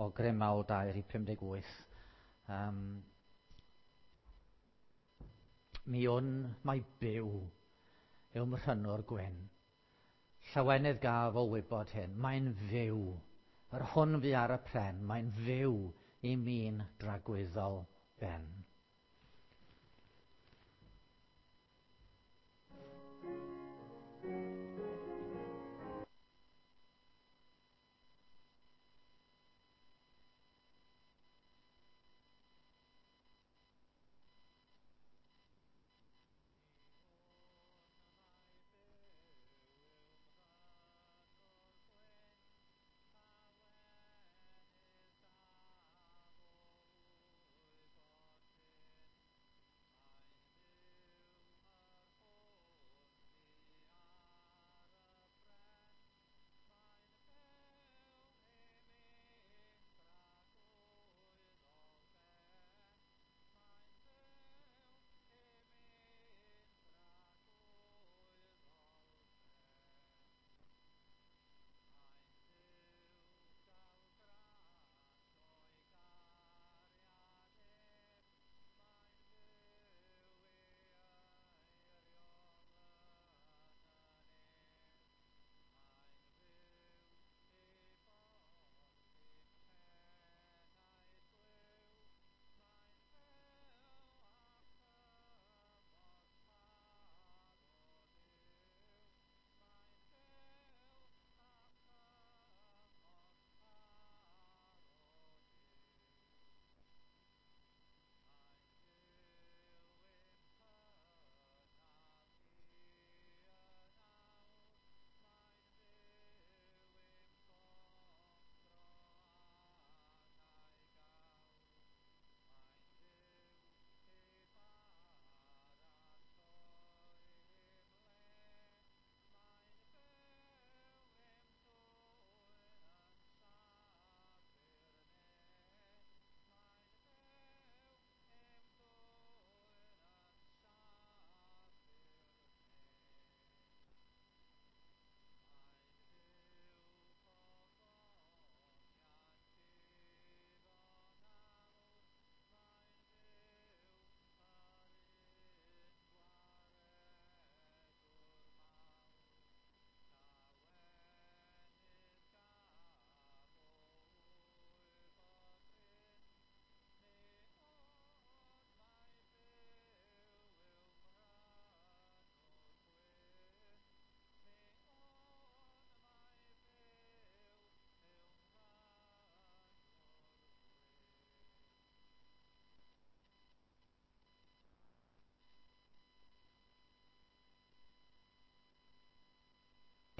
o Grym Mawl 2, rhif 58. Mi wn mai byw yw mrhynwr gwyn. Llawenydd gaf o wybod hyn, mae'n fyw. Yr hwn fu ar y pren, mae'n fyw i mi'n dragwyddol ben.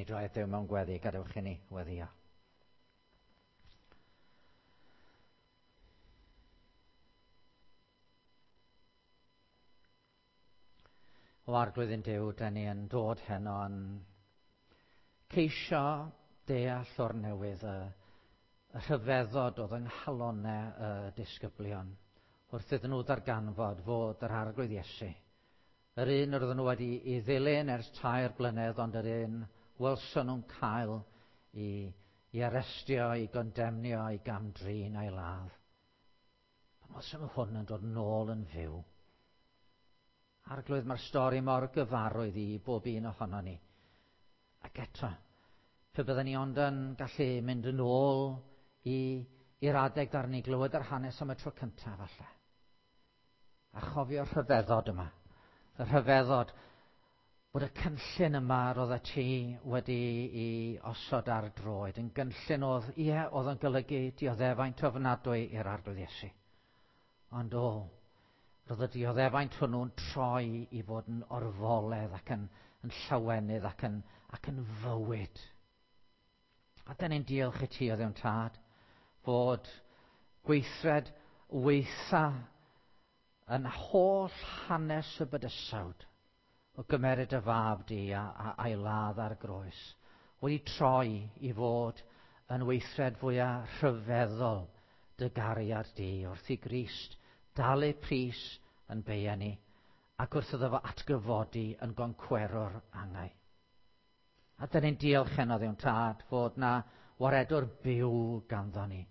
Ni droi at Dduw mewn gweddi, gadewch i ni weddïo. O Arglwydd ein Duw, dyn ni yn dod heno yn ceisio deall o'r newydd y, y rhyfeddod oedd yng nghalonau y disgyblion wrth iddyn nhw ddarganfod fod yr Arglwydd Iesu, yr un yr oedden nhw wedi i ddilyn ers 3 blynedd, ond yr un welson nhw'n cael i, i arestio, i gondemnio, i gamdrin a'i ladd. Pan welson nhw hwn yn dod nôl yn fyw. Arglwydd, mae'r stori mor gyfarwydd i bob un ohono ni. Ac eto, pe bydden ni ond yn gallu mynd yn ôl i'r adeg dar ni glywed yr hanes am y tro cyntaf falle. A chofio'r rhyfeddod yma. Y rhyfeddod bod y cynllun yma roedd ti wedi i osod ar droed yn gynllun oedd, ie, oedd yn golygu dioddefaint ofnadwy i'r Arglwydd Iesu. Ond o, roedd y dioddefaint hwnnw'n troi i fod yn orfoledd ac yn, yn llawenydd ac yn, ac yn fywyd. A dyn ni'n diolch i ti o Dduw'n Tad fod gweithred weitha yn holl hanes y bydysawd o gymeryd y fab di a, a, a'i ladd ar groes wedi troi i fod yn weithred fwyaf rhyfeddol dy gariad di wrth i Grist dalu pris yn beia ni ac wrth iddo fo atgyfodi yn goncwerwr angau. A dyn ni'n diolch heno Dduw'n Tad fod na waredwr byw ganddo ni.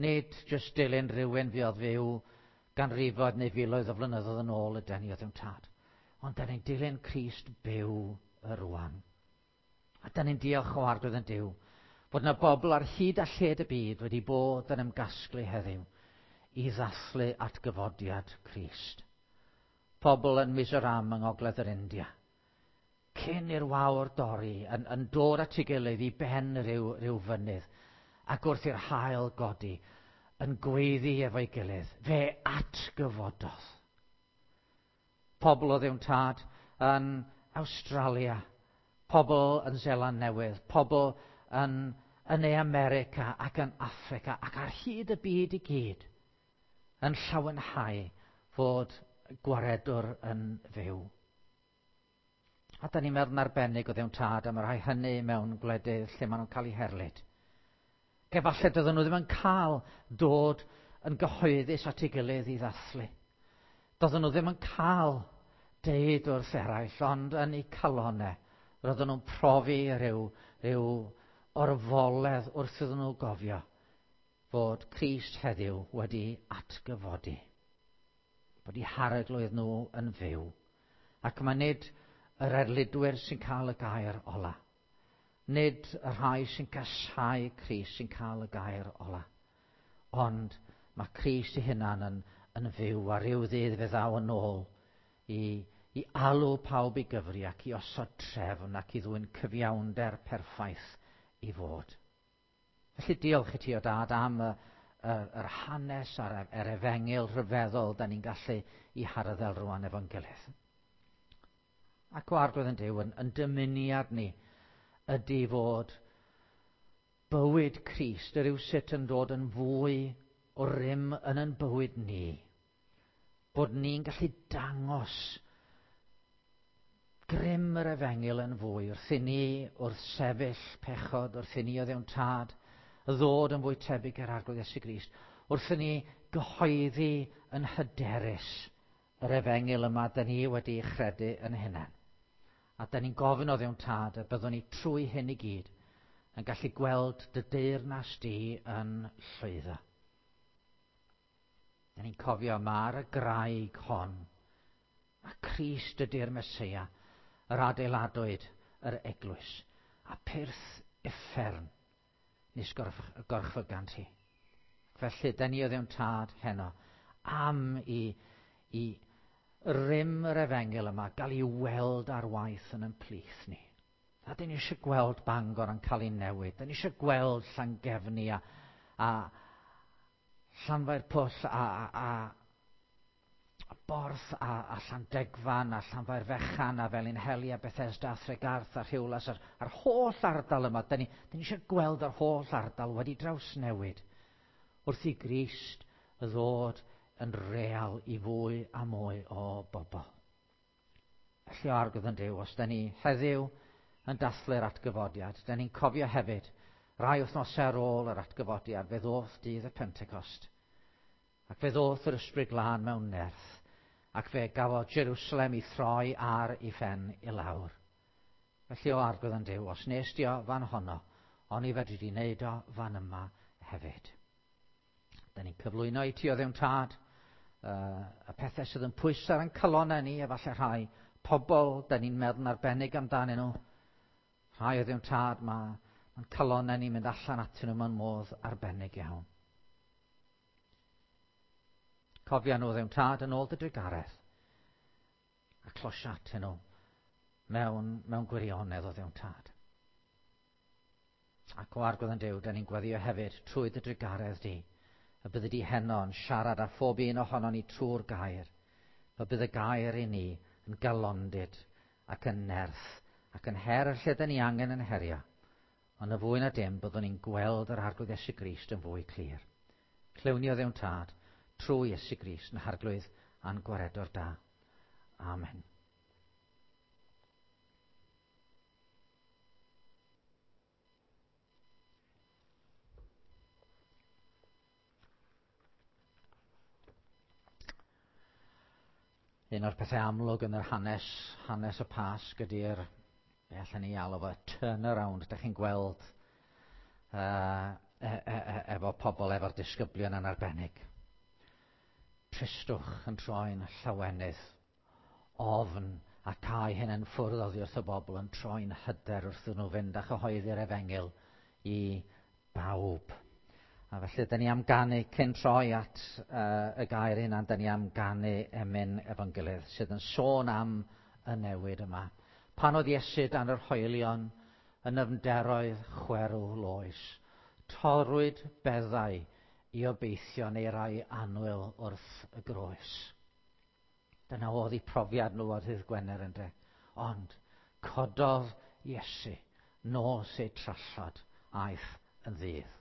Nid jyst dilyn rhywun fuodd fyw ganrifoedd neu filoedd o flynyddoedd yn ôl ydy ni o Dduw'n Tad. Ond da ni'n dilyn Crist byw y rwan. A da ni'n diolch o Arglwydd yn Duw fod yna bobl ar hyd a lled y byd wedi bod yn ymgasglu heddiw i ddathlu atgyfodiad Crist. Pobl yn Mizoram yng Ngogledd yr India. Cyn i'r wawr dorri, yn dod at ei gilydd i ben rhyw fynydd, ac wrth i'r haul godi, yn gweiddi efo'i gilydd, fe atgyfododd. Pobl o Dduw'n Tad yn Awstralia, pobl yn Seland Newydd, pobl yn Ne America ac yn Affrica ac ar hyd y byd i gyd yn llawenhau fod Gwaredwr yn fyw. A da ni'n meddwl yn arbennig o Dduw'n Tad am y rhai hynny mewn gwledydd lle maen nhw'n cael eu herlid. Efallai dydyn nhw ddim yn cael dod yn gyhoeddus at ei gilydd i ddathlu. Doedden nhw ddim yn cael deud wrth eraill, ond yn eu calonau, roedden nhw'n profi rhyw orfoledd wrth iddyn nhw gofio fod Crist heddiw wedi atgyfodi. Bod eu harglwydd nhw yn fyw. Ac mae nid yr erlidwyr sy'n cael y gair ola. Nid y rhai sy'n casáu Crist sy'n cael y gair ola. Ond mae Crist ei hunan yn fyw a rhyw ddydd fe ddaw yn ôl i alw pawb i gyfri ac i osod trefn ac i ddwyn cyfiawnder perffaith i fod. Felly diolch i ti o Dad am yr hanes a'r efengyl rhyfeddol da ni'n gallu i harddel rwan efo'n gilydd. Ac o Arglwydd yn Duw, yn dymuniad ni ydy fod bywyd Crist yr yw sut yn dod yn fwy o rym yn ein bywyd ni. Bod ni'n gallu dangos grym yr efengyl yn fwy wrth i ni wrth sefyll pechod, wrth i ni o Dduw'n Tad ddod yn fwy tebyg i'r Arglwydd Iesu Grist, wrth i ni gyhoeddi yn hyderus yr efengyl yma da ni wedi chredu yn hunain. A da ni'n gofyn o Dduw'n Tad y byddwn ni trwy hyn i gyd yn gallu gweld dy deyrnas di yn llwyddo. Da ni'n cofio mae'r y graig hon, a Crist ydy'r Meseia, yr adeiladwyd yr eglwys, a pyrth uffern nes gorchfygant hi. Felly, da ni o Dduw'n Tad heno am i rym yr efengyl yma gael ei weld ar waith yn ein plith ni. A da ni eisiau gweld Bangor yn cael ei newid. Da ni eisiau gweld Llangefni a Llanfairpwll a Borth a Llandegfan a Llanfairfechan a Felinheli a Bethesda a Thregarth a Rhiwlas a'r holl ardal yma. Da ni eisiau gweld yr holl ardal wedi drawsnewid wrth i Grist ddod yn real i fwy a mwy o bobl. Felly o Arglwydd yn Duw, os da ni heddiw yn dathlu'r atgyfodiad, da ni'n cofio hefyd rai wythnosau ar ôl yr atgyfodiad, fe ddoth dydd y Pentecost. Ac fe ddoth yr Ysbryd Glân mewn nerth, ac fe gafodd Jerusalem i throi ar ei phen i lawr. Felly o Arglwydd yn Duw, os nes di o fan honno, oni fedri di wneud o fan yma hefyd. Da ni'n cyflwyno i ti o Dduw'n Tad, y pethau sydd yn pwyso ar ein calonnau ni, efallai rhai pobl, da ni'n meddwl yn arbennig amdanyn nhw. Rhai o Dduw'n Tad, mae'n calonnau ni'n mynd allan atyn nhw mewn modd arbennig iawn. Cofia nhw Dduw'n Tad yn ôl dy drugaredd a closia atyn nhw mewn gwirionedd o Dduw'n Tad. Ac o Arglwydd yn Duw, da ni'n gweddio hefyd trwy dy drugaredd di, y byddi di heno yn siarad â phob un ohonon ni trwy'r gair, y bydd y gair i ni yn galondid ac yn nerth ac yn her lle da ni angen yn herio. Ond y fwy na dim, byddwn ni'n gweld yr Arglwydd Iesu Grist yn fwy clir. Clywn ni o Dduw'n Tad, trwy Iesu Grist yn Harglwydd a'n Gwaredwr da. Amen. Un o'r pethau amlwg yn yr hanes y Pasg ydy'r, be allan ni alw fo, turnaround. Dach chi'n gweld efo pobl, efo'r disgyblion yn arbennig. Tristwch yn troi'n llawenydd, ofn a cau hyn yn ffwrdd oddi wrth y bobl yn troi'n hyder wrth nhw fynd a chyhoeddi'r efengyl i bawb. A felly, dyn ni am ganu cyn troi at y gair hynna, dyn ni am ganu emyn efo'n gilydd sydd yn sôn am y newid yma. Pan oedd Iesu dan yr hoelion yn nyfnderoedd chwerw loes, torrwyd beddau i obeithio neu rai annwyl wrth y groes. Dyna oedd eu profiad nhw ar ddydd Gwener ynde. Ond cododd Iesu nos eu trallod aeth yn ddydd.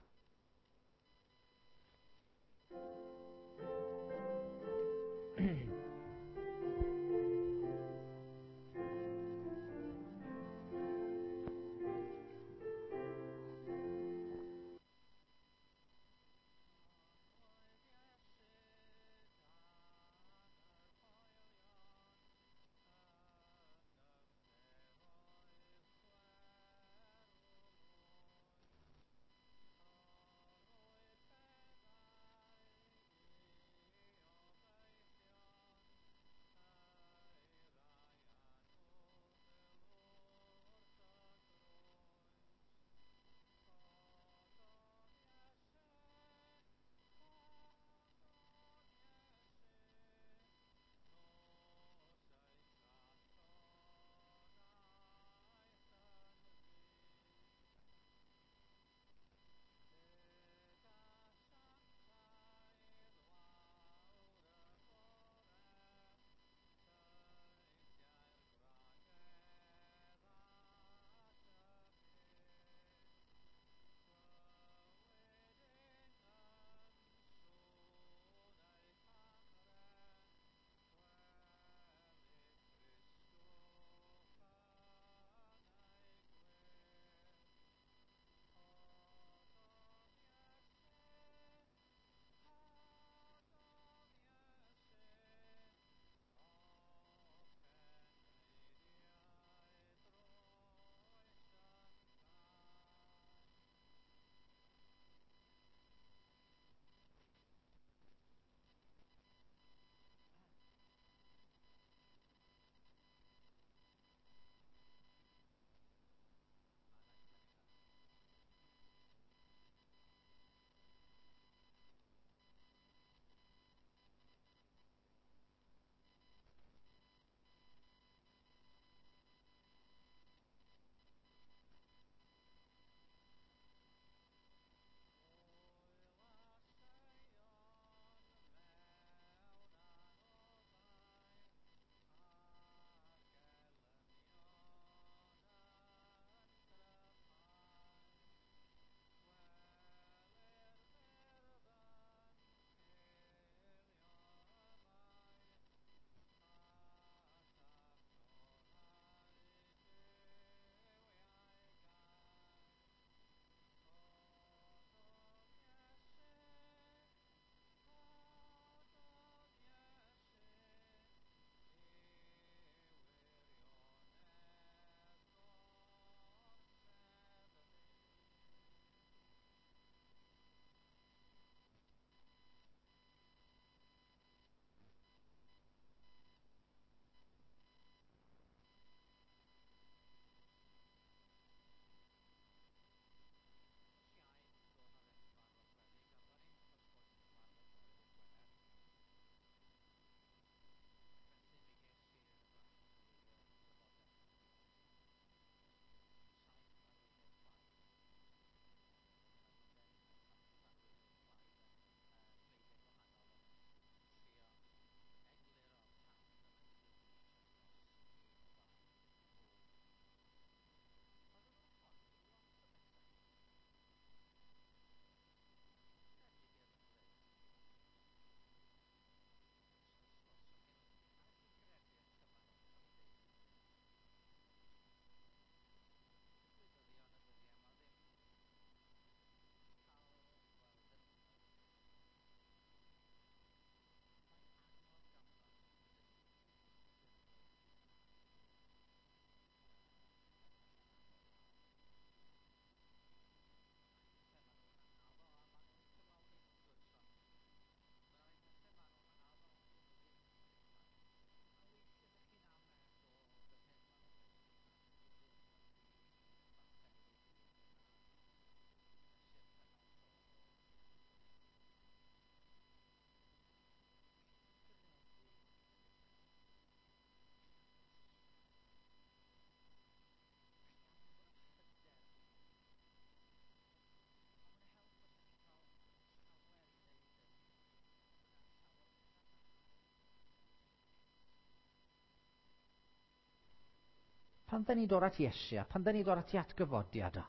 Pan da ni'n dod at Iesu, a pan da ni'n dod at ei atgyfodiad o,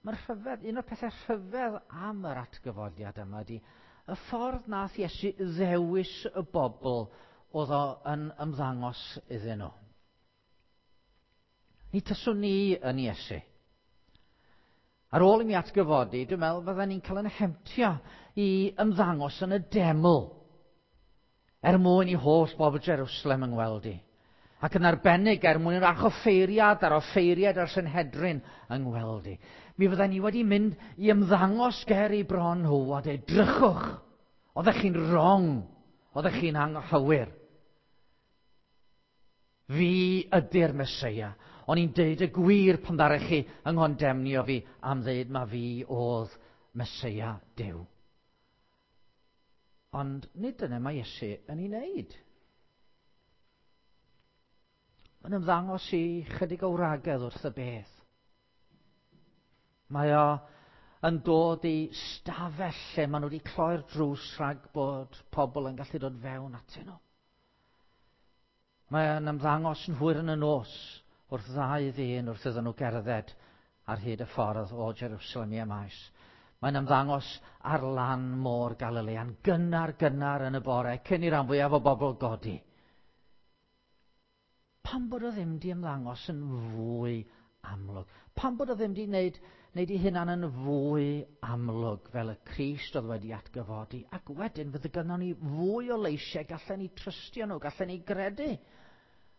mae'r rhyfedd, un o'r pethau rhyfedd am yr atgyfodiad yma ydy y ffordd nath Iesu ddewis y bobl oedd o yn ymddangos iddyn nhw. Ni tyswn ni yn Iesu. Ar ôl i mi atgyfodi, dwi'n meddwl fydden ni'n cael yn hemtio i ymddangos yn y deml er mwyn i holl bobl Jerusalem yng ngweld i. Ac yn arbennig er mwyn i'r archoffeiriad a'r offeiriad a'r Sanhedrin yng ngweld i. Mi fydden ni wedi mynd i ymddangos ger i bron nhw a dweud, drychwch, oeddech chi'n wrong, oeddech chi'n anghywir. Fi ydy'r Meseia. O'n i'n deud y gwir pan ddarech chi yng nghondemnio fi am ddeud ma fi oedd Meseia Duw. Ond nid dyna mae Iesu yn ei wneud. Mae'n ymddangos i chydig o wragedd wrth y bedd. Mae o yn dod i stafell lle maen nhw wedi cloi'r drws rhag bod pobl yn gallu dod fewn atyn nhw. Mae o'n ymddangos yn hwyr yn y nos wrth ddau ddyn wrth iddyn nhw gerdded ar hyd y ffordd o Jerusalem i Emmaus. Mae'n ymddangos ar lan môr Galilea'n gynnar gynnar yn y bore cyn i ran fwyaf o bobl godi. Pam bod o ddim di ymddangos yn fwy amlwg? Pam bod o ddim di wneud, wneud ei hunan yn fwy amlwg fel y Crist oedd wedi atgyfodi? Ac wedyn fydde gynnon ni fwy o leisiau, gallen ni trystio nhw, gallen ni gredu.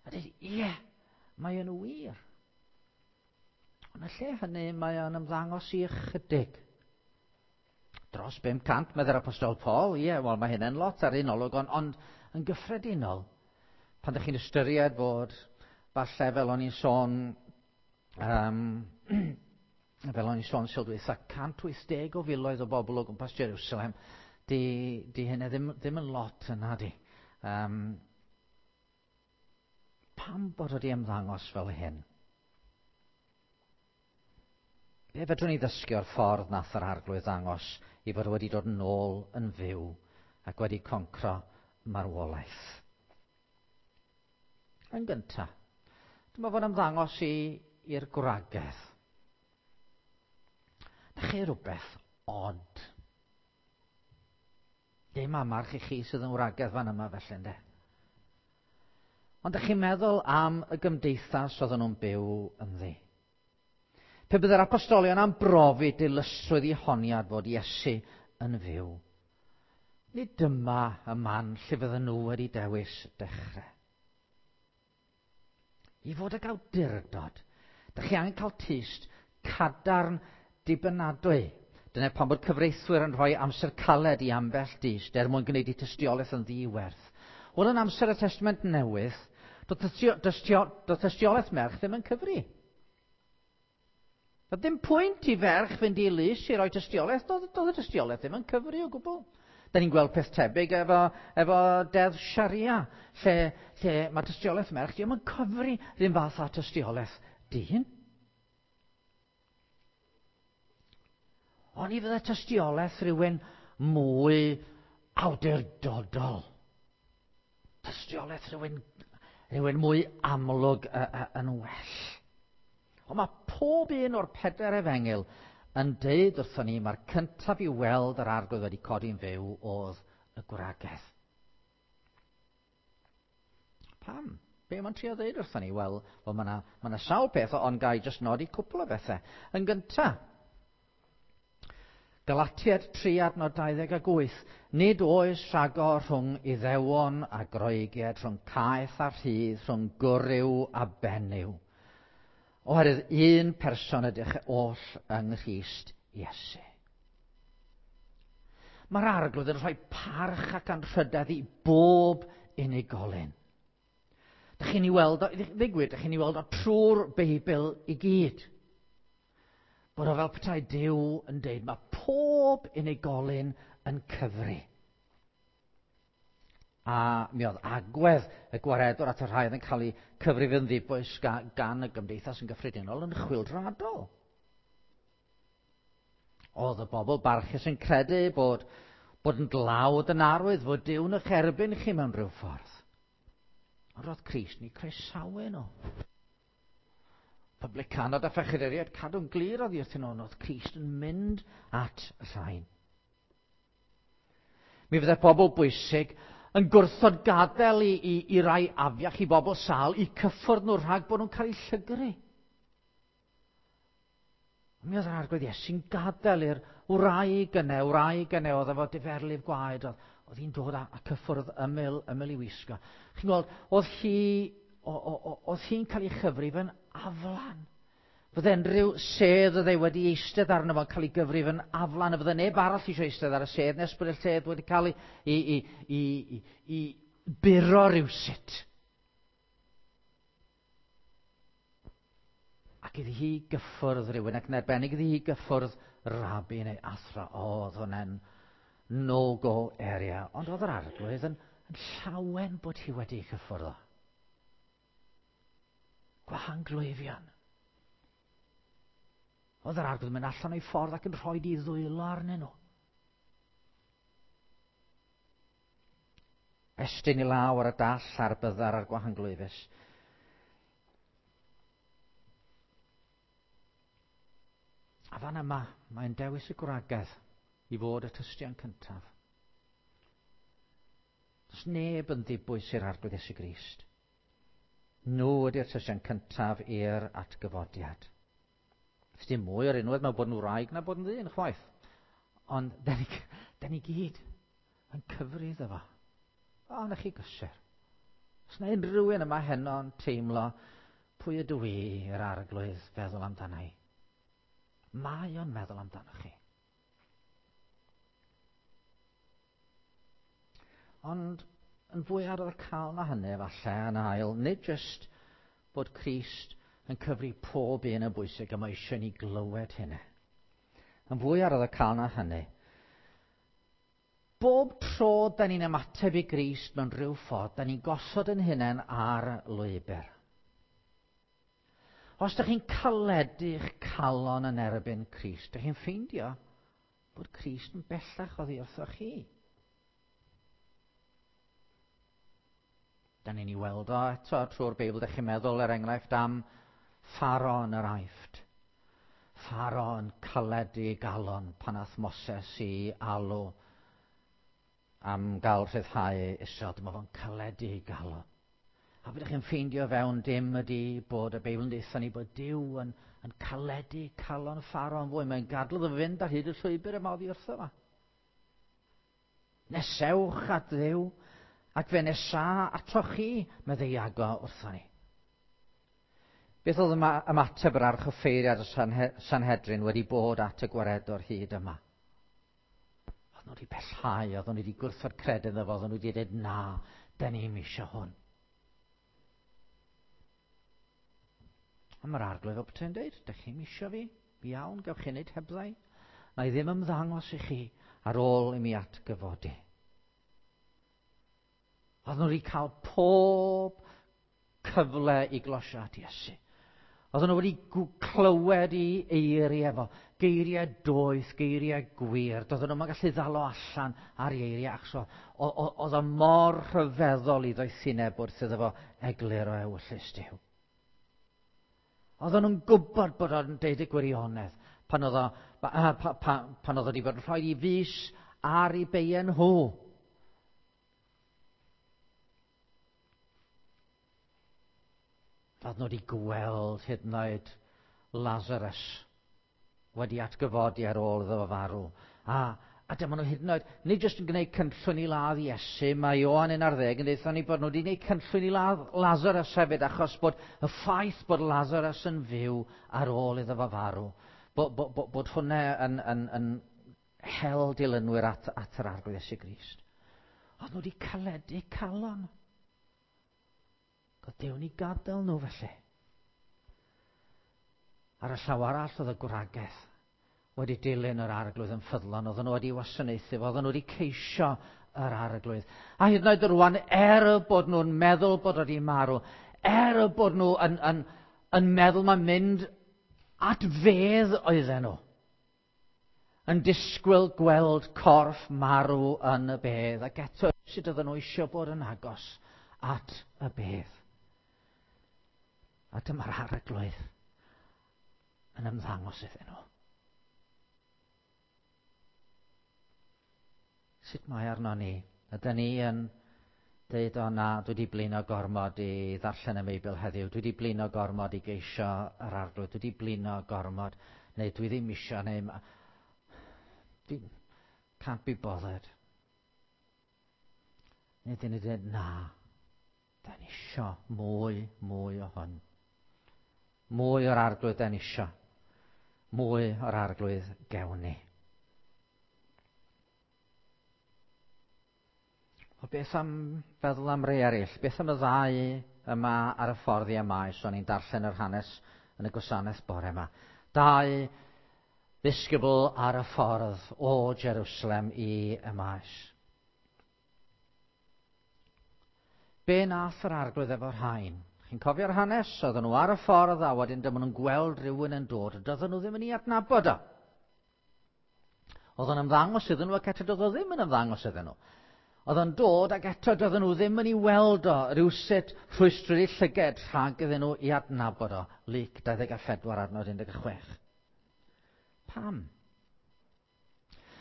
A dweud, ie, mae yn wir. Ond y lle hynny, mae o'n ymddangos i ychydig. Dros 500, meddai'r Apostol Paul. Ie, wel, mae hynny'n lot ar un olwg, ond, ond yn gyffredinol, pan ydych chi'n ystyried bod, falle fel o'n i'n sôn, fel o'n i'n sôn sil dwytha, 180 o filoedd o bobl o gwmpas Jerusalem, di, di hynny ddim, ddim yn lot yna di. Pam bod wedi ymddangos fel hyn? Be fedrwn ni ddysgu o'r ffordd nath yr arglwydd ddangos i fod wedi dod yn ôl yn fyw ac wedi concro marwolaeth? Yn gyntaf, dyma fo'n ymddangos i'r gwragedd. Na chi rhywbeth od. Dim amarch i chi sydd yn wragedd fan yma felly, ynde? Ond ydych chi'n meddwl am y gymdeithas oedden nhw'n byw ynddi? Pe byddai'r apostolion am brofi dilysrwydd i honiad fod Iesu yn fyw, nid dyma y man lle fydden nhw wedi dewis dechrau. I fod ag awdurdod, dych chi angen cael tyst cadarn dibynadwy. Dyna pam bod cyfreithwyr yn rhoi amser caled i ambell dyst er mwyn gwneud eu tystiolaeth yn ddiwerth. Wel, yn amser y Testament Newydd, doedd tystiolaeth merch ddim yn cyfri. Doedd dim pwynt i ferch fynd i lys i roi tystiolaeth, doedd y tystiolaeth ddim yn cyfri o gwbl. Da ni'n gweld peth tebyg efo, efo deddf Sharia, lle, lle mae tystiolaeth merch ddim yn cyfri ddim fath â tystiolaeth dyn. Ond i fydde tystiolaeth rhywun mwy awdurdodol. Tystiolaeth rhywun, rhywun mwy amlwg yn well. Ond mae pob un o'r pedair efengyl yn deud wrthon ni mae'r cyntaf i weld yr arglwydd wedi codi'n fyw oedd y gwragedd. Pam? Be mae'n trio ddeud wrthon ni? Wel, well, mae yna ma sawl peth, ond gai jyst nodi cwpl o bethau. Yn gyntaf, Galatiaid 3 adnod 28. Nid oes rhagor rhwng Iddewon a Groegiaid, rhwng caeth a rhydd, rhwng gwryw a benyw. Oherwydd un person ydych oll yng Nghrist Iesu. Mae'r arglwydd yn rhoi parch ac anrhydedd i bob unigolyn. Dych chi'n ei weld o, ddigwydd, dych chi'n ei weld o trwy'r Beibl i gyd. Bod o fel petai Duw yn deud, mae pob unigolyn yn cyfri. A mi oedd agwedd y gwaredwr at y rhai oedd yn cael eu cyfrif yn ddibwys gan y gymdeithas yn gyffredinol yn chwyldroadol. Oedd y bobl barchus yn credu bod, bod yn dlawd yn arwydd fod Duw'n eich erbyn chi mewn rhyw ffordd. Ond roedd Crist ni croesawu nhw. Publicanod a phechaduriaid cadw'n glir oddi wrthyn nhw, ond oedd Crist yn mynd at y rhain. Mi fydde pobl bwysig yn gwrthod gadael i, i, i rai afiach i bobl sâl i cyffwrdd nhw rhag bod nhw'n cael eu llygru. Mi oedd yr arglwydd Iesu'n gadael i'r wraig yna, wraig yna oedd efo diferlif gwaed, oedd, oedd hi'n dod a, a cyffwrdd ymyl, ymyl i wisgo. Chi'n gweld, oedd hi, oedd hi'n cael ei chyfrif yn aflan. Fydde unrhyw sedd oedd ei wedi eistedd arno fo'n cael ei gyfrif yn aflan, a fydde neb arall eisiau eistedd ar y sedd nes bod y sedd wedi cael ei, i, i, i, i, i buro rhywsut. Ac iddi hi gyffwrdd rhywun, ac yn arbennig iddi hi gyffwrdd rabi neu athro, o, oedd hwnna'n no-go area. Ond oedd yr arglwydd yn, yn llawen bod hi wedi cyffwrdd o. Gwahanglwyfion. Oedd yr arglwydd yn mynd allan o'i ffordd ac yn rhoi di ddwylo arnyn nhw. Estyn i law ar y dall a'r byddar a'r gwahanglwyfus. A fan yma, mae'n dewis y gwragedd i fod y tystion cyntaf. Does neb yn ddibwys i'r Arglwydd Iesu Grist. Nhw ydy'r tystion cyntaf i'r atgyfodiad. Does dim mwy o'r unwaith mewn bod yn wraig na bod yn ddyn, chwaith. Ond da ni, da ni gyd yn cyfri iddo fo. O, na chi gysur. Os na unrhyw un yma heno'n teimlo pwy ydw i i'r arglwydd feddwl amdana i. Mae o'n meddwl amdano chi. Ond yn fwy arwyddocaol na hynny, efallai, yn ail, nid jyst bod Crist yn cyfri pob un yn bwysig, a mae eisiau ni glywed hynny. Yn fwy arwyddocaol na hynny, bob tro da ni'n ymateb i Grist mewn rhyw ffordd, da ni'n gosod yn hunain ar lwybr. Os da chi'n caledu'ch calon yn erbyn Crist, da chi'n ffeindio bod Crist yn bellach oddi wrthoch chi. Da ni'n ei weld o eto trwy'r Beibl, da chi'n meddwl er enghraifft am Pharo yn yr Aifft. Pharo yn caledu ei galon pan ath Moses i alw am gael rhyddhau Israel. Dyma fo'n caledu ei galon. A beth chi'n ffeindio fewn dim ydy bod y Beibl yn deutha ni bod Duw yn, yn caledu calon Pharo yn fwy. Mae'n gadw iddo fynd ar hyd y llwybr yma oddi wrtho fo. Nesewch at Dduw, ac fe nesa atoch chi, meddai Iago wrtho ni. Beth oedd ymateb yr archoffeiriad y Sanhedrin wedi bod at y gwaredwr hyd yma? Oedd nhw wedi pellhau, oedd nhw wedi gwrthod credu iddo fo, oedd nhw wedi dweud na, da ni'n eisiau hwn. A mae'r arglwydd o bethau'n dweud, da chi'n eisiau fi? Iawn, gewch chi wneud hebddau. Na i ddim ymddangos i chi ar ôl i mi atgyfodi. Oedd nhw wedi cael pob cyfle i glosio at Iesu. Oedden nhw wedi clywed i eiriau efo, geiriau doeth, geiriau gwir. Doedden nhw'n gallu ddalo allan ar ei eiriau, achos oedd o mor rhyfeddol i ddoethineb wrth iddo fo egluro ewyllys Duw. Oedden nhw'n gwybod bod o'n deud y gwirionedd pan oedd o, pa, pa, pan oedd o wedi bod yn rhoi i fus ar ei beien nhw. Oedden nhw wedi gweld hyd yn oed Lazarus wedi atgyfodi ar ôl iddo fo farw. A, a dyma nhw hyd yn oed, nid jyst yn gwneud cynllwyn i ladd Iesu, mae Ioan 11 yn deutha ni bod nhw wedi gwneud cynllwyn i ladd Lazarus hefyd, achos bod y ffaith bod Lazarus yn fyw ar ôl iddo fo farw, bod, bod, bod, bod hwnna yn, yn, yn hel dilynwyr at, at yr Arglwydd Iesu Grist. Oedd nhw wedi caledu calon. Oedd Duw'n i gadael nhw felly. Ar y llaw arall oedd y gwragedd wedi dilyn yr arglwydd yn ffyddlon, oedden nhw wedi wasanaethu fo, oedden nhw wedi ceisio yr arglwydd. A hyd yn oed rwan, er y bod nhw'n meddwl bod wedi marw, er y bod nhw yn, yn, yn meddwl mae'n mynd at fedd oedden nhw, yn disgwyl gweld corff marw yn y bedd, ac eto sut oedden nhw eisiau bod yn agos at y bedd. A dyma'r arglwydd yn ymddangos iddyn nhw. Sut mae arno ni? Ydyn ni yn deud, o na, dwi wedi blino gormod i ddarllen y Beibl heddiw, dwi wedi blino gormod i geisio yr arglwydd, dwi wedi blino gormod, neu dwi ddim isio, neu... Dwi can't be bothered. Neu dyn ni dweud, na, da ni isio mwy, mwy o hwn. Mwy o'r arglwydd da ni isio. Mwy o'r arglwydd gewn ni. O beth am feddwl am rei eraill? Beth am y ddau yma ar y ffordd i Emaus? O'n i'n darllen yr hanes yn y gwasanaeth bore yma. Dau ddisgybl ar y ffordd o Jerusalem i Emaus. Be nath yr arglwydd efo'r rhain? Chi'n cofio'r hanes? Oedden nhw ar y ffordd a wedyn dyma nhw'n gweld rhywun yn dod. Doedden nhw ddim yn ei adnabod o. Oedd o'n ymddangos iddyn nhw ac eto doedd o ddim yn ymddangos iddyn nhw. Oedd o'n dod ac eto doedden nhw ddim yn ei weld o rywsut rhwystryd eu llyged rhag iddyn nhw i adnabod o. Luc 24 adnod 16. Pam?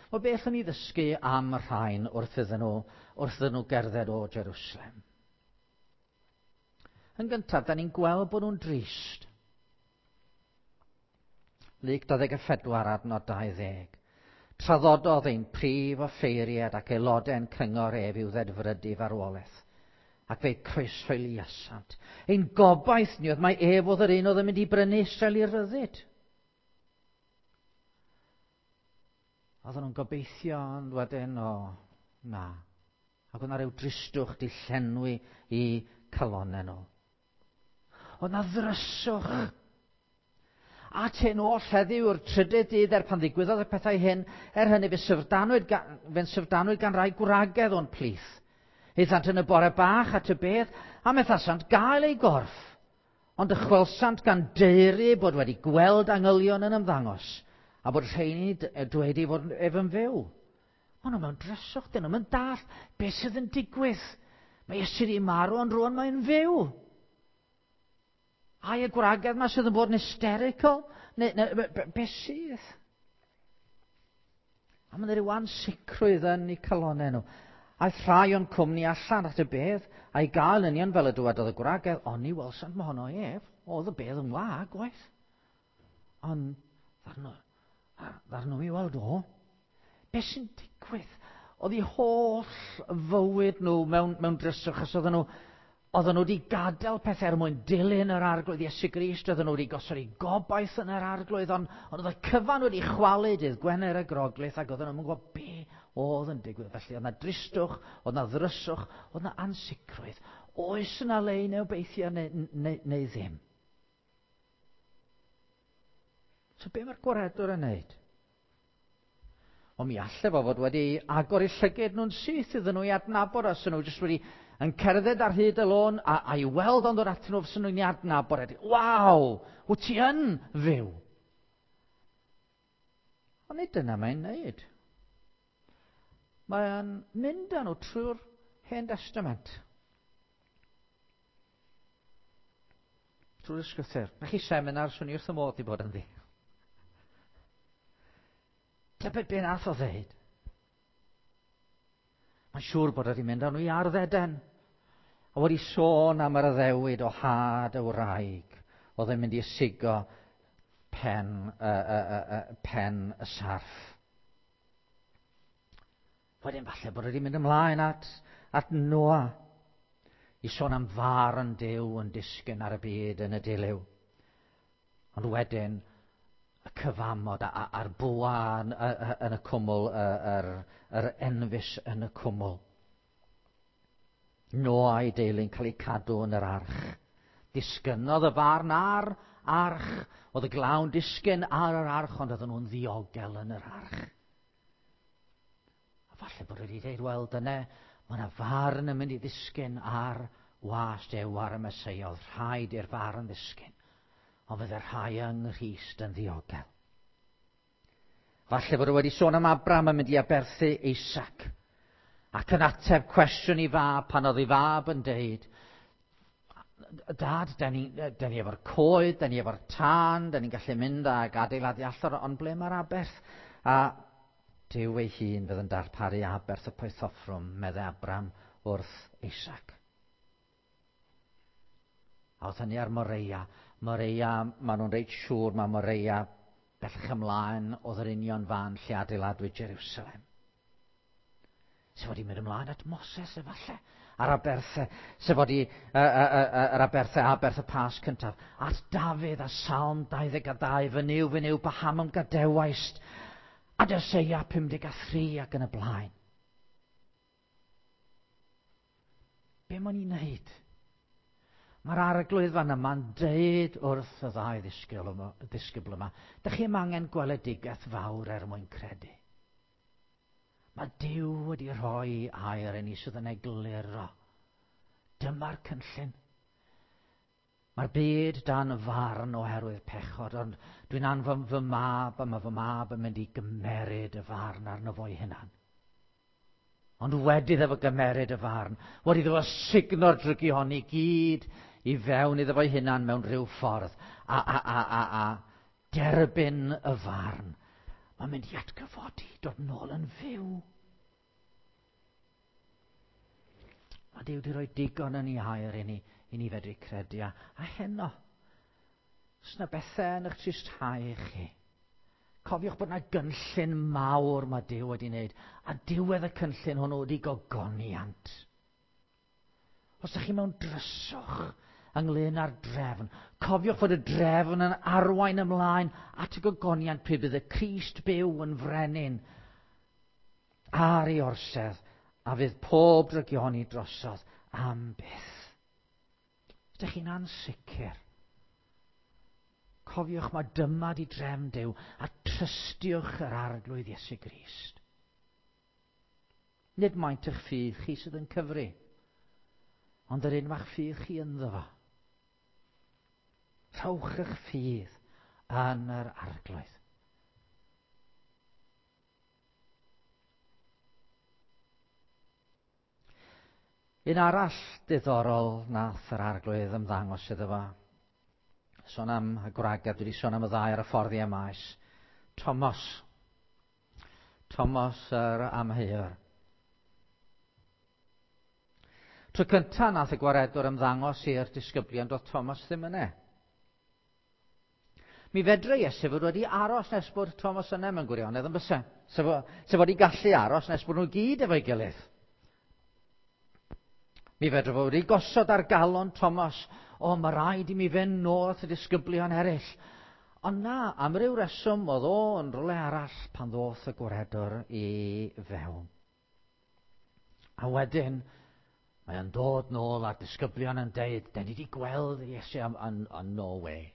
Wel, beth o'n i ddysgu am y rhain wrth iddyn nhw, wrth iddyn nhw gerdded o Jerusalem? Yn gyntaf, da ni'n gweld bod nhw'n drist. Luc 24 adnod 20. Traddododd ein prif offeiriad ac aelodau'n cyngor ef i'w ddedfrydu farwolaeth, ac fe'i croeshoeliasant. Ein gobaith ni oedd mai ef oedd yr un oedd yn mynd i brynu Israel i ryddid. Oedden nhw'n gobeithio, ond wedyn, o, na. Ac oedd yna rhyw dristwch di llenwi i calonnau nhw. Oedd yna ddryswch. At hyn oll heddiw yw'r trydydd dydd er pan ddigwyddodd y pethau hyn, er hynny fe syfrdanwyd gan, fe'n syfrdanwyd gan rai gwragedd o'n plith. Aethant yn y bore bach at y bedd, a methasant gael ei gorff. Ond dychwelsant gan deuru bod wedi gweld angylion yn ymddangos, a bod rheini dweud ei fod ef yn fyw. Maen nhw mewn dryswch, dyn nhw'n dall beth sydd yn digwydd. Mae Iesu wedi marw, ond rwan mae'n fyw. Ai y gwragedd yma sydd yn bod yn hysterical? Neu, neu be, be, be sydd? A mae'n rhyw ansicrwydd yn eu calonnau nhw. Aeth rhai o'n cwmni allan at y bedd, a'i gael union fel y dywedodd y gwragedd, ond ni welsant mohono ef, oedd y bedd yn wag, waith. Ond ddarn nhw i weld o. Be sy'n digwydd? Oedd eu holl fywyd nhw mewn, mewn dryswch, achos oedden nhw, oedden nhw wedi gadael pethau er mwyn dilyn yr arglwydd Iesu Grist, oedden nhw wedi gosod eu gobaith yn yr arglwydd, ond, ond oedd y cyfan wedi chwalu dydd Gwener y Groglith, ac oedden nhw'n gwybod be oedd yn digwydd. Felly oedd yna dristwch, oedd yna ddryswch, oedd yna ansicrwydd. Oes yna le i neu obeithio neu, neu, neu ddim? So be mae'r gwaredwr yn neud? Ond mi alle fo fod wedi agor eu llyged nhw'n syth iddyn nhw i adnabod os nhw jyst wedi yn cerdded ar hyd y lôn a, a i weld ond dod atyn nhw fysyn nhw'n i adnabod. E. Waw, wyt ti yn fyw? Ond nid dyna mae'n neud. Mae'n mynd â nhw trwy'r Hen Testament. Trwy'r ysgrythyr. Na chi seminar, swn i wrth y modd i bod ynddi. Tybed be nath o ddeud? Mae'n siŵr bod wedi mynd â nhw i ardd Eden. A wedi sôn am yr addewid o had y wraig oedd yn mynd i ysigo pen, uh, uh, uh, pen y sarff. Wedyn falle bod wedi mynd ymlaen at, at Noa i sôn am farn Duw yn disgyn ar y byd yn y dilyw. Ond wedyn, y cyfamod a'r bwa yn, yn y cwmwl, yr, yr enfys yn y cwmwl. Noa a'i deulu'n cael eu cadw yn yr arch. Disgynnodd y farn ar arch. Oedd y glawn disgyn ar yr arch, ond oedden nhw'n ddiogel yn yr arch. A falle bod wedi dweud, wel, dyna, mae yna farn yn mynd i ddisgyn ar was Duw ar y Meseia. Oedd rhaid i'r farn ddisgyn. Ond fydde rhai yng Nghrist yn ddiogel. Falle bod o wedi sôn am Abram yn mynd i aberthu Isaac. Ac yn ateb cwestiwn i fab pan oedd ei fab yn deud, Dad, da ni, da ni efo'r coed, da ni efo'r tân, da ni'n gallu mynd ag adeiladu allor, ond ble mae'r aberth? A Duw ei hun fydd yn darparu aberth y poethoffrwm, meddai Abram wrth Isaac. A oedd hynny ar Moreia. Moreia, maen nhw'n reit siŵr mae Moreia bellach ymlaen oedd yr union fan lle adeiladwyd Jerusalem. Sef wedi mynd ymlaen at Moses efallai, a'r aberthau, sef wedi yr aberthau aberth y Pasg cyntaf, at Dafydd a Salm 22, fy Nuw, fy Nuw, paham a'm gadewaist, a Jeseia 53 ac yn y blaen. Be mae'n ei wneud? Mae'r arglwydd fan yma'n deud wrth y ddau ddisgybl yma, ddisgybl yma, dych chi'm angen gweledigaeth fawr er mwyn credu. Mae Duw wedi rhoi air i ni sydd yn egluro. Dyma'r cynllun. Mae'r byd dan farn oherwydd pechod, ond dwi'n anfon fy mab a mae fy mab yn mynd i gymeryd y farn arno fo'i hunan. Ond wedi iddo fo gymeryd y farn, wedi iddo fo sugno'r drygioni gyd i fewn iddo fo'i hunan mewn rhyw ffordd, a, a, a, a, a derbyn y farn, mae'n mynd i atgyfodi, dod nôl yn fyw. Mae Duw wedi rhoi digon yn ei air i ni, i ni fedru credu. A, a heno, os yna bethau yn eich tristhau chi, cofiwch bod yna gynllun mawr mae Duw wedi wneud, a diwedd y cynllun hwnnw wedi gogoniant. Os ydych chi mewn dryswch ynglyn â'r drefn, cofiwch fod y drefn yn arwain ymlaen at y gogoniant pryd bydd y Crist byw yn frenin ar ei orsedd a fydd pob drygioni drosodd am byth. Ydych chi'n ansicr? Cofiwch mae dyma di drefn Duw a trystiwch yr Arglwydd Iesu Grist. Nid maint eich ffydd chi sydd yn cyfri, ond yr un ma'ch ffydd chi ynddo fo. Rhowch eich ffydd yn yr Arglwydd. Un arall diddorol nath yr Arglwydd ymddangos iddo fo. Sôn am y gwragedd, dwi wedi sôn am y ddau ar y ffordd i Emaus. Thomas. Thomas yr amheuwr. Tro cyntaf nath y gwaredwr ymddangos i'r disgyblion, doedd Thomas ddim yna. Mi fedrai Iesu fod wedi aros nes bod Thomas yna mewn gwirionedd yn byse. Sef, sef wedi gallu aros nes bod nhw gyd efo'i gilydd. Mi fedrai fod wedi gosod ar galon Thomas, o, mae rhaid i mi fynd nôl at y disgyblion eraill. Ond na, am ryw reswm oedd o yn rhywle arall pan ddoth y gwaredwr i fewn. A wedyn, mae o'n dod nôl a'r disgyblion yn deud, den ni wedi gweld Iesu am, am, am no way.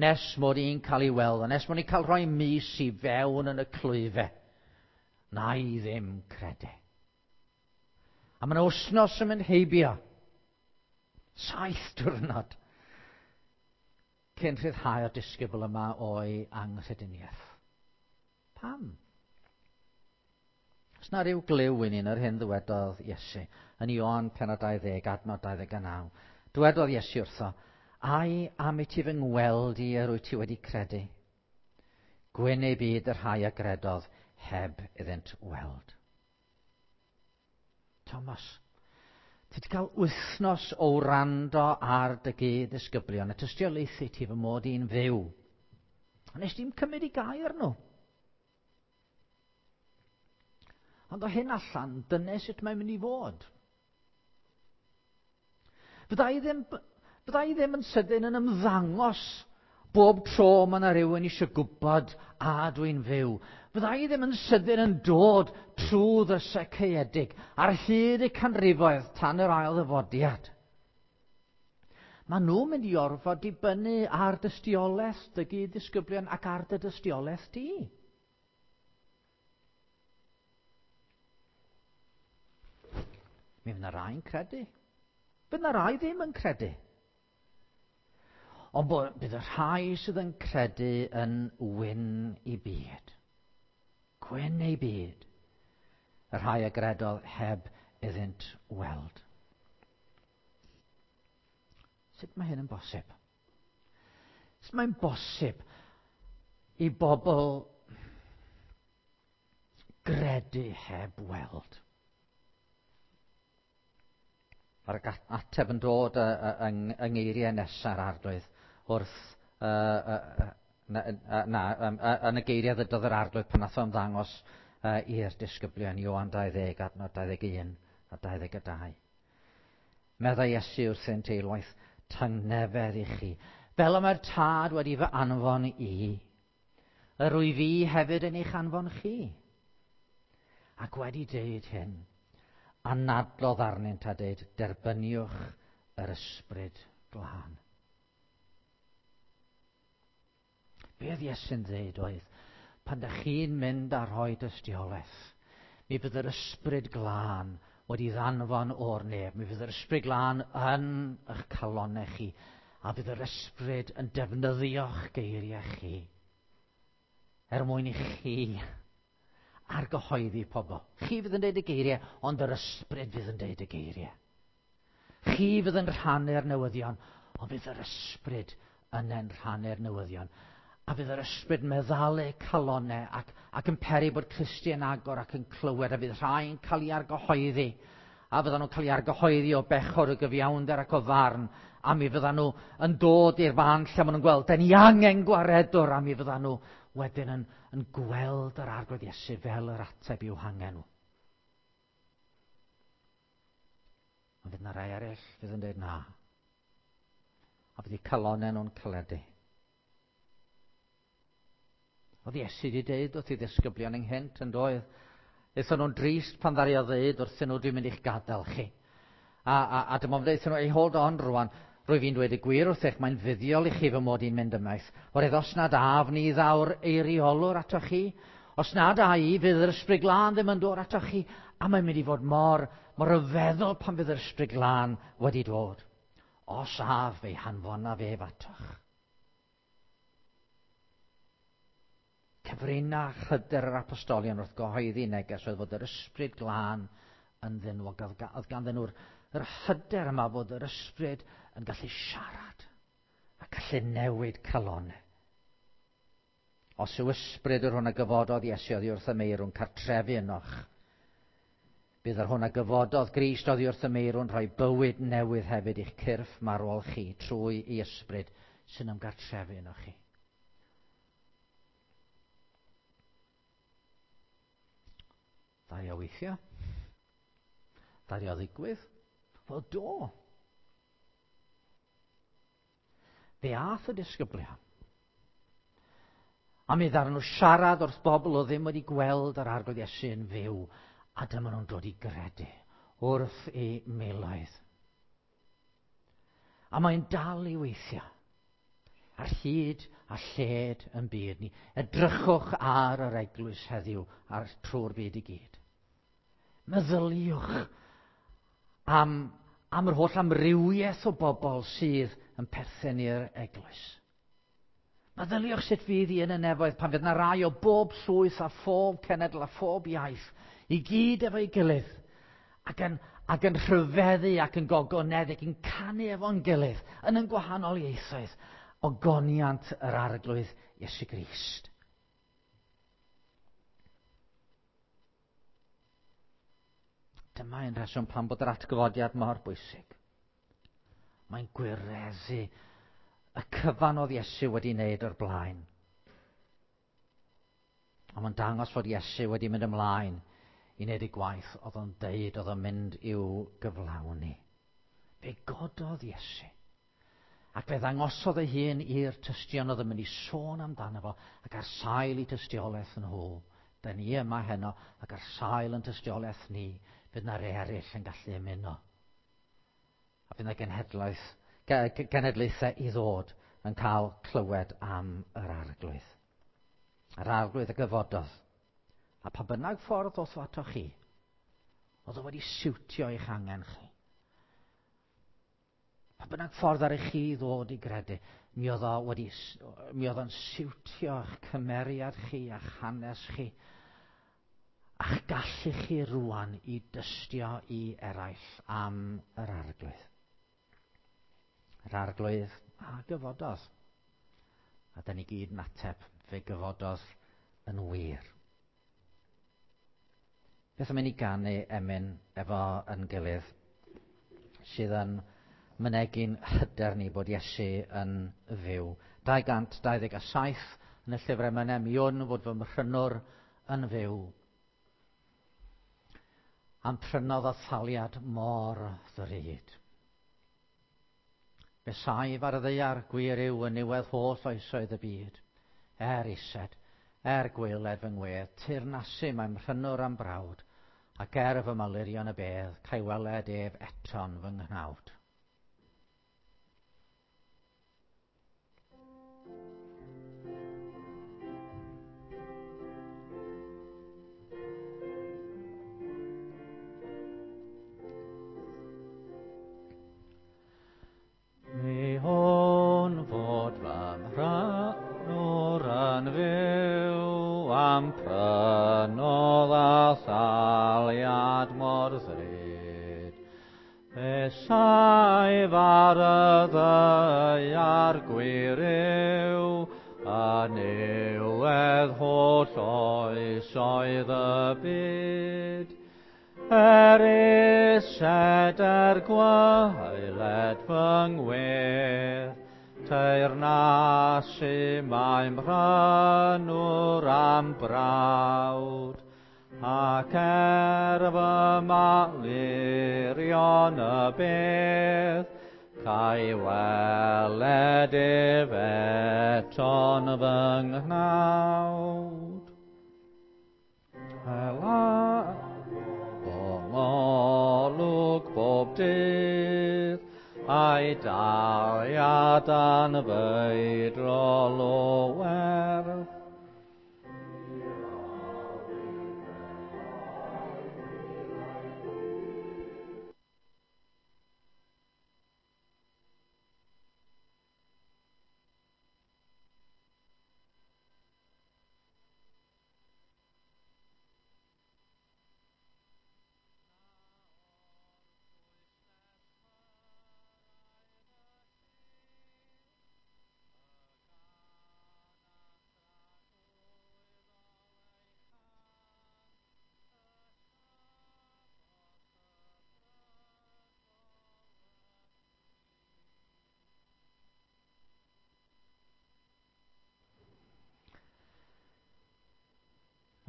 Nes mod i'n cael ei weld, a nes mod i'n cael rhoi mis i fewn yn y clwyfe, na i ddim credu. A mae'n wythnos yn mynd heibio. 7 diwrnod. Cyn rhyddhau'r disgybl yma o'i anghrediniaeth. Pam? Os na ryw glyw i ni yn yr hyn ddywedodd Iesu yn Ioan pennod 20, adnod 29. Dywedodd Iesu wrtho, Ai am i ti fy ngweld i yr wyt ti wedi credu? Gwyn ei byd y rhai a gredodd heb iddynt weld. Thomas, ti wedi cael wythnos o wrando ar dy gyd-ddisgyblion a tystiolaethu ti fy mod i'n fyw. A nes di'm cymryd i gair nhw. Ond o hyn allan, dyna sut mae'n mynd i fod. Fydda i ddim, fydda i ddim yn sydyn yn ymddangos bob tro mae yna rhywun eisiau gwybod a dwi'n fyw. Fydda i ddim yn sydyn yn dod trwy ddrysau caeedig ar hyd y canrifoedd tan yr ail ddyfodiad. Mae nhw'n mynd i orfod dibynnu ar dystiolaeth dy gyd-ddisgyblion ac ar dy dystiolaeth di. Mi fydd yna rai'n credu. Fydd yna rai ddim yn credu. Ond bydd y rhai sydd yn credu yn wyn i byd. Gwyn ei byd. Y rhai a gredodd heb iddynt weld. Sut mae hyn yn bosib? Sut mae'n bosib i bobl gredu heb weld? Mae'r ateb yn dod yng ngeiriau nesa'r arglwydd wrth na, yn y geiriau ddydodd yr arglwydd pan nath o ymddangos i'r disgyblion, Ioan 20, adnod 21 a 22. Meddai Iesu wrthynt eilwaith, tangnefedd i chi, fel y mae'r tad wedi fy anfon i, yr wyf fi hefyd yn eich anfon chi. Ac wedi deud hyn, anadlodd arnynt a deud, derbyniwch yr ysbryd glân. Be oedd Iesu'n ddeud oedd, pan da chi'n mynd a rhoi dystiolaeth, mi fydd yr ysbryd glân wedi ddanfon o'r nef. Mi fydd yr ysbryd glân yn eich calonau chi, a fydd yr ysbryd yn defnyddio'ch geiriau chi, er mwyn i chi argyhoeddi pobl. Chi fydd yn deud y geiriau, ond yr ysbryd fydd yn deud y geiriau. Chi fydd yn rhannu'r newyddion, ond fydd yr ysbryd yn yn rhannu'r newyddion. A fydd yr ysbryd meddalu calonau ac, ac yn peri bod clustiau'n agor ac yn clywed, a fydd rhai'n cael ei argyhoeddi. A fyddan nhw'n cael ei argyhoeddi o bechod, o gyfiawnder ac o farn. A mi fyddan nhw yn dod i'r fan lle maen nhw'n gweld, den ni angen gwaredwr, a mi fyddan nhw wedyn yn, yn gweld yr arglwydd Iesu fel yr ateb i'w hangen nhw. Ond fydd yna rai eraill fydd yn dweud na. A fydd eu calonau nhw'n caledu. Oedd Iesu wedi dweud wrth ei ddisgyblion ynghynt yn doedd. Aethon nhw'n drist pan ddaru o ddeud wrthyn nhw, dwi'n mynd i'ch gadael chi. A, a, a dyma fo'n dweud nhw, ei hold on rwan, rwy fi'n dweud y gwir wrthych, mae'n fuddiol i chi fy mod i'n mynd ymaith. Oherwydd os nad af ni ddaw'r eiriolwr atoch chi, os nad a i, fydd yr ysbryd glân ddim yn dod atoch chi, a mae'n mynd i fod mor, mor ryfeddol pan fydd yr ysbryd glân wedi dod. Os af, fe'i hanfonaf ef atoch. Cyfrinach hyder yr apostolion wrth gyhoeddi neges oedd fod yr ysbryd glân ynddyn nhw, ac oedd ganddyn nhw'r yr hyder yma fod yr ysbryd yn gallu siarad a gallu newid calonau. Os yw ysbryd yr hwn a gyfododd Iesu oddi wrth y meirw'n cartrefu ynoch, bydd yr hwn a gyfododd Grist oddi wrth y meirw'n rhoi bywyd newydd hefyd i'ch cyrff marwol chi trwy ei ysbryd sy'n ymgartrefu ynoch chi. Ddaru o weithio? Ddaru o ddigwydd? Wel, do. Fe ath y disgyblion. A mi ddaru nhw siarad wrth bobl o ddim wedi gweld yr arglwydd Iesu yn fyw, a dyma nhw'n dod i gredu wrth eu miloedd. A mae'n dal i weithio ar hyd a lled yn byd ni. Edrychwch ar yr eglwys heddiw ar trwy'r byd i gyd. Meddyliwch am, am yr holl amrywiaeth o bobl sydd yn perthyn i'r eglwys. Meddyliwch sut fydd hi yn y nefoedd pan fydd yna rai o bob llwyth a phob cenedl a phob iaith i gyd efo'i gilydd ac yn, ac yn rhyfeddu ac yn gogoneddu ac yn canu efo'n gilydd yn yn gwahanol ieithoedd ogoniant yr arglwydd Iesu Grist. Dyma un rheswm pam bod yr atgyfodiad mor bwysig. Mae'n gwireddu y cyfan oedd Iesu wedi wneud o'r blaen. A mae'n dangos fod Iesu wedi mynd ymlaen i wneud ei gwaith oedd o'n deud oedd o'n mynd i'w gyflawni. Fe gododd Iesu. Ac fe ddangosodd ei hun i'r tystion oedd yn mynd i sôn amdano fo ac ar sail i tystiolaeth nhw. Da ni yma heno ac ar sail yn tystiolaeth ni, fydd na rei eraill yn gallu ymuno. A fydd na genhedlaeth, genedlaethau i ddod yn cael clywed am yr arglwydd. Yr arglwydd y gyfododd. A pa bynnag ffordd ddoth o atoch chi, oedd o wedi siwtio eich angen chi. Pa bynnag ffordd ar i chi ddod i gredu, mi oedd o wedi, mi oedd o'n siwtio eich cymeriad chi a'ch hanes chi. A'ch gallu chi rwan i dystio i eraill am yr Arglwydd. Yr Arglwydd a gyfododd. A da ni gyd yn ateb, fe gyfododd yn wir. Beth am i ni ganu emyn efo yn gilydd sydd yn mynegi'n hyder ni bod Iesu yn fyw. 227 yn y llyfr emynau, mi wn fod fy mhrynwr yn fyw. Am prynodd a thaliad mor ddrud. Fe saif ar y ddaear, gwir yw, yn niwedd holl oesoedd y byd. Er ised, er gwaeled fy ngwedd, teyrnasu mae mhrynwr am brawd, ac er fy malurion y bedd, ca'i weled ef eto'n fy nghnawd. Mi hwn fod fy mhrynwr yn fyw, am prynodd a thaliad mor ddrud. Fe saif ar y ddaear gwir yw, yn niwedd holl oesoedd y byd. Er ised er gwaeled fy ngwedd, teyrnasu mae mhrynwr am brawd, ac er fy malurion y bedd, ca'i weled ef eto'n fy nghnawd. Hela olwg bob dydd, a'i daliad anfeidrol o werth.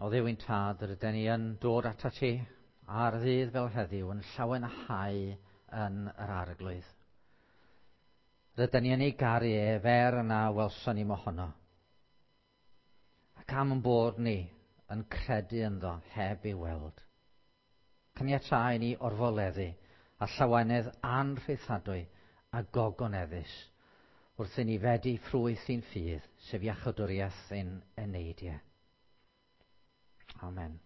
O Dduw ein Tad, rydyn ni yn dod atat ti ar ddydd fel heddiw yn llawenhau yn yr Arglwydd. Rydyn ni yn ei garu ef er na welson ni mohono. Ac am yn bod ni yn credu ynddo heb ei weld. Caniatáu ni orfoleddu a llawenydd anrhaethadwy a gogoneddus wrth i ni fedi ffrwyth i'n ffydd, sef iachawdwriaeth ein eneidiau. Amen.